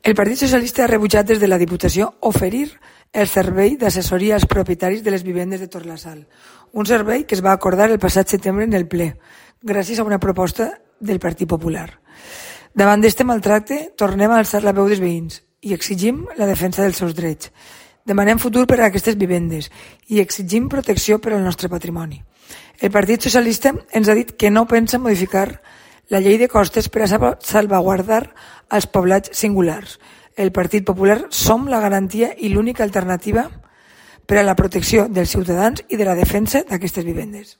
El Partit Socialista ha rebutjat des de la Diputació oferir el servei d'assessoria als propietaris de les vivendes de Torlasal, un servei que es va acordar el passat setembre en el ple, gràcies a una proposta del Partit Popular. Davant d'este maltracte, tornem a alçar la veu dels veïns i exigim la defensa dels seus drets. Demanem futur per a aquestes vivendes i exigim protecció per al nostre patrimoni. El Partit Socialista ens ha dit que no pensa modificar la llei de costes per a salvaguardar els poblats singulars. El Partit Popular som la garantia i l'única alternativa per a la protecció dels ciutadans i de la defensa d'aquestes vivendes.